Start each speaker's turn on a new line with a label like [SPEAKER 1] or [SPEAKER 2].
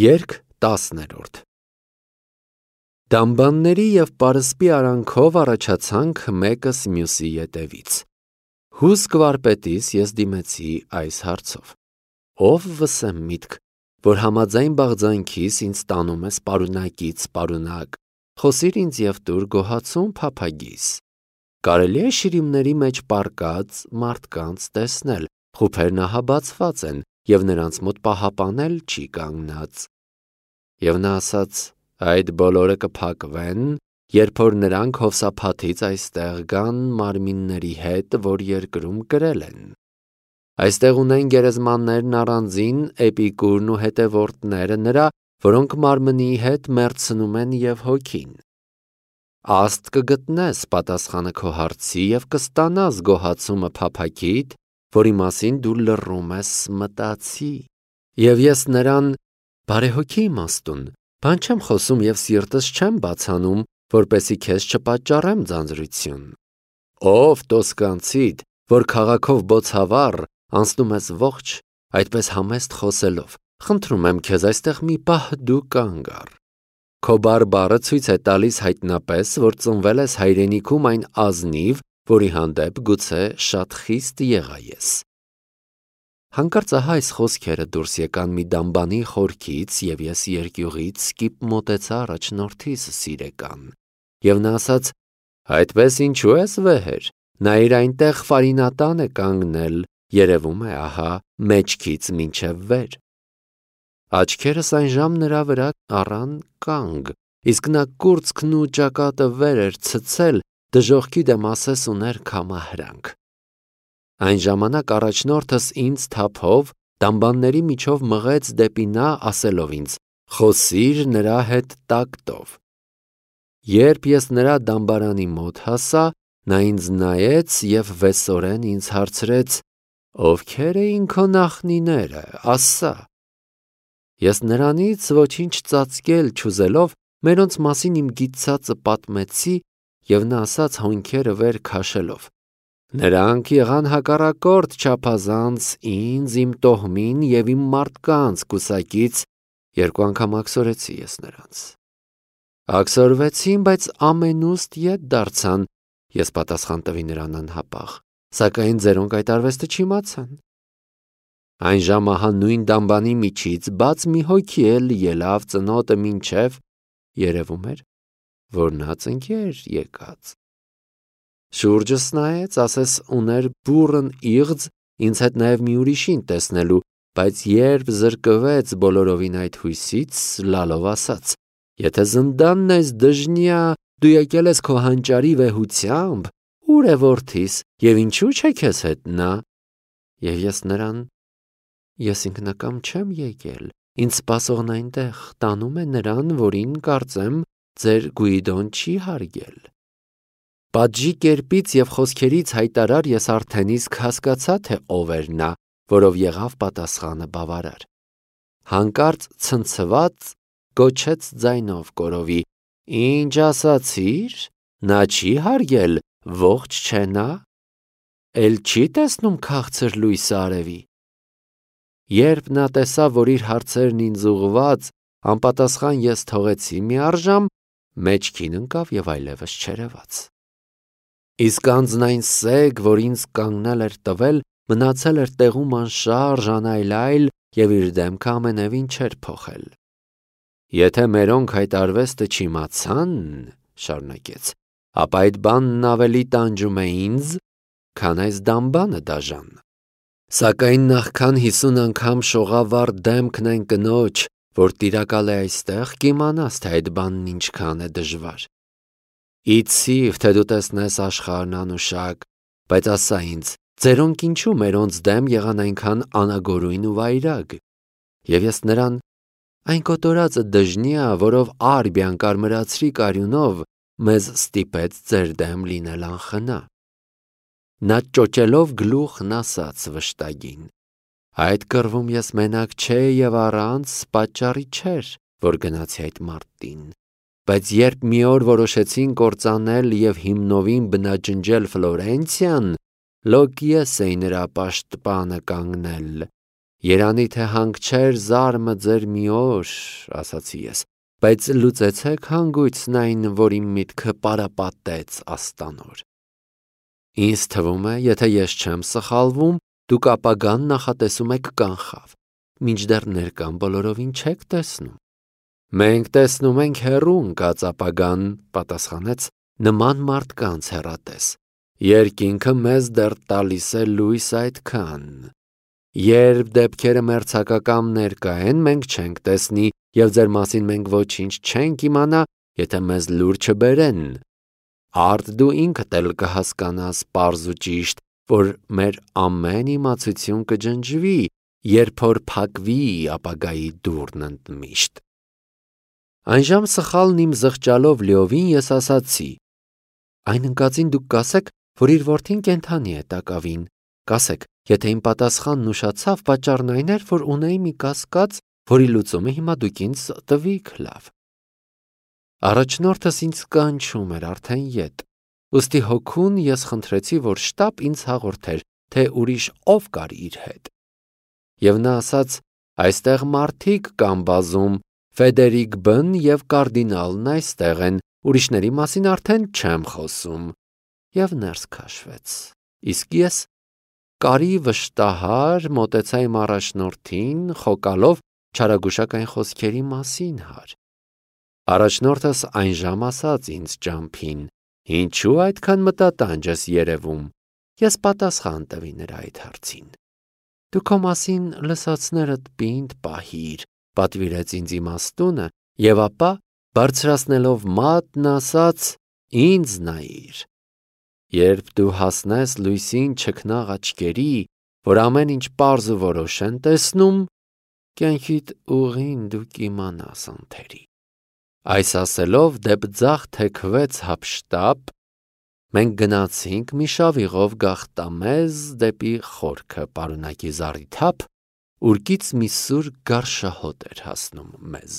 [SPEAKER 1] Երգ 10-րդ Դամբանների և պարսպի արանքով առաջացանք մեկս մյուսի ետևից։ Հուսք վարպետիս ես դիմեցի այս հարցով. ով վսեմ միտք, որ համաձայն բաղձանքիս ինձ տանում ես պարունակից պարունակ, խոսիր ինձ և տուր գոհացում փափագիս։ Կարելի է շիրիմների մեջ պառկած մարդկանց տեսնել, խուփերն ահաբացված են, և նրանց մոտ պահապան էլ չի կանգնած։ Եվ նա ասաց. այդ բոլորը կփակվեն, երբ որ նրանք հովսափաթից այստեղ գան մարմինների հետ, որ երկրում կրել են։ Այստեղ ունեն գերեզմաններն առանձին Էպիկուրն ու հետևորդները նրա, որոնք մարմնի հետ մեռցնում են և հոգին։ Աստ կգտնես պատասխանը քո հարցի և կստանաս գոհացումը փափագիդ, որի մասին դու լռում ես մտածի։ Եվ ես նրան բարեհոգի իմաստուն, բան չեմ խոսում և սիրտս չեմ բացանում, որպեսզի քեզ չպատճառեմ ձանձրություն։ Ով տոսկանցիդ, որ քաղաքով բոցավառ, անցնում ես ողջ, այդպես համեստ խոսելով, խնդրում եմ քեզ այստեղ մի պահ դու կանգ առ։ Քո բարբառը ցույց է տալիս հայտնապես, որ ծնվել ես հայրենիքում այն ազնիվ, որի հանդեպ գուցե շատ խիստ եղա ես։ Հանկարծ ահա այս խոսքերը դուրս եկան մի դամբանի խորքից, և ես երկյուղից սկիպ մոտեցա առաջնորդիս սիրեկան։ Եվ նա ասաց. այդպես ինչու ես վեհեր, նայիր այնտեղ ֆարինատան է կանգնել, երևում է ահա մեջքից մինչև վեր։ Աչքերս այնժամ նրա վրա առան կանգ, իսկ նա կուրծքն ու ճակատը վեր էր ցցել, դժոխքի դեմ ասես ուներ քամահրանք։ Այն ժամանակ առաջնորդս ինձ թափով դամբանների միջով մղեց դեպի նա, ասելով ինձ. խոսիր նրա հետ տակտով։ Երբ ես նրա դամբարանի մոտ հասա, նա ինձ նայեց և վեսորեն ինձ հարցրեց. ովքեր էին քո նախնիները, ասա։ Ես նրանից ոչինչ ծածկել չուզելով, մերոնց մասին իմ գիտցածը պատմեցի, և նա ասաց հոնքերը վեր քաշելով. նրանք եղան հակառակորդ չափազանց ինձ, իմ տոհմին և իմ մարդկանց կուսակից, երկու անգամ աքսորեցի ես նրանց։ Աքսորվեցին, բայց ամենուստ ետ դարձան, ես պատասխան տվի նրան անհապաղ, սակայն ձերոնք այդ արվեստը չիմացան։ Այն ժամ ահա նույն դամբանի միջից բաց մի հոգի էլ ելավ ծնոտը մինչև, երևում էր, որ նա ծնկի էր եկած։ Շուրջս նայեց, ասես ուներ բուռն իղձ ինձ հետ նաև մի ուրիշին տեսնելու, բայց երբ զրկվեց բոլորովին այդ հույսից, լալով ասաց. եթե զնդանն ես դժնյա, դու եկել ես քո հանճարի վեհությամբ, ուր է որդիս, և ինչու՞ չէ քեզ հետ նա։ Եվ ես նրան. ես ինքնակամ չեմ եկել, ինձ սպասողն այնտեղ տանում է նրան, որին կարծեմ ձեր Գուիդոն չի հարգել։ Պատժի կերպից և խոսքերից հայտարար ես արդեն իսկ հասկացա, թե ով էր նա, որով եղավ պատասխանը բավարար։ Հանկարծ ցնցված գոչեց ձայնով կորովի. ինչ ասացիր, նա չի հարգել, ողջ չէ նա, էլ չի տեսնում քաղցր լույսը արևի։ Երբ նա տեսավ, որ իր հարցերն ինձ ուղղված, անպատասխան ես թողեցի մի առժամ, մեջքին ընկավ և այլևս չերևաց։ Իսկ անձն սեգ, որ ինձ կանգնել էր տվել, մնացել էր տեղում անշարժ, անայլայլ և իր դեմքը ամենևին չէր փոխել։ Եթե մերոնք այդ արվեստը չիմացան, շարունակեց, ապա այդ բանն ավելի տանջում է ինձ, քան այս դամբանը դաժան։ Սակայն նախքան 50 անգամ շողավառ դեմքն այն կնոջ, որ տիրակալ է այստեղ, կիմանաս, թե այդ բանն ինչքան է դժվար։ Իցիվ, թե դու տեսնես աշխարհն անուշակ, բայց ասա ինձ, ձերոնք ինչու մերոնց դեմ եղան այնքան անագորույն ու վայրագ։ Եվ ես նրան. այն կոտորածը դժնյա, որով Արբիան կարմրացրի կարյունով, մեզ ստիպեց ձեր դեմ լինել անխնա։ Նա ճոճելով գլուխն ասաց վշտագին. այդ կռվում ես մենակ չէի և առանց պատճառի չէր, որ գնացի այդ մարտին, բայց երբ մի օր որոշեցին կործանել և հիմնովին բնաջնջել Ֆլորենցիան, լոկ ես էի նրա պաշտպանը կանգնել, Երանի թե հանգչեր զարմը ձեր մի օր, ասացի ես, բայց լուծեցեք հանգույցն այն, որ իմ միտքը պարապատեց աստանոր։ Ինձ թվում է, եթե ես չեմ սխալվում, դուք ապագան նախատեսում եք կանխավ, մինչդեռ ներկան բոլորովին չեք տեսնում։ Մենք տեսնում ենք հեռու ընկած ապագան, պատասխանեց նման մարդկանց հեռատես։ Երկինքը մեզ դեռ տալիս է լույս այդքան։ Երբ դեպքերը մերձակակամ ներկա են, մենք չենք տեսնի և ձեր մասին մենք ոչինչ չենք իմանա, եթե մեզ լուր չբերեն։ Արդ դու ինքդ էլ կհասկանաս պարզ ու ճիշտ, որ մեր ամեն իմացություն կջնջվի, երբ որ փակվի ապագայի դուռն ընդմիշտ։ Այնժամ սխալն իմ զղջալով լիովին ես ասացի. այն ընկածին դուք կասեք, որ իր որդին կենդանի է տակավին, կասեք, եթե իմ պատասխանն ուշացավ, պատճառն այն էր, որ ունեի մի կասկած, որի լուծումը հիմա դուք ինձ տվիք լավ։ Առաջնորդս ինձ կանչում էր արդեն ետ, ուստի հոգուն ես խնդրեցի, որ շտապ ինձ հաղորդեր, թե ուրիշ ով կար իր հետ։ Եվ նա ասաց, այստեղ մարդիկ կան բազում, Ֆեդերիկ Բն և կարդինալն այստեղ են, ուրիշների մասին արդեն չեմ խոսում, և ներս քաշվեց, իսկ ես կարի վշտահար մոտեցա իմ առաջնորդին, խոկալով չարագուշակ այն խոսքերի մասին հար։ Առաջնորդս այնժամ ասաց ինձ ճամփին. ինչու այդքան մտատանջ ես երևում, ես պատասխան տվի նրա այդ հարցին։ Դու քո մասին լսածներդ պինդ պահիր, պատվիրեց ինձ իմաստունը, և ապա բարձրացնելով մատն ասաց. ինձ նայիր։ Երբ դու հասնես լույսին չքնաղ աչքերի, որ ամեն ինչ պարզ ու որոշ են տեսնում, կյանքիդ ուղին դու կիմանաս անթերի։ Այս ասելով դեպ ձախ թեքվեց հափշտապ, մենք գնացինք մի շավիղով գաղտամեզ դեպի խորքը պարունակի զառիթափ, ուրկից մի սուր գարշահոտ էր հասնում մեզ։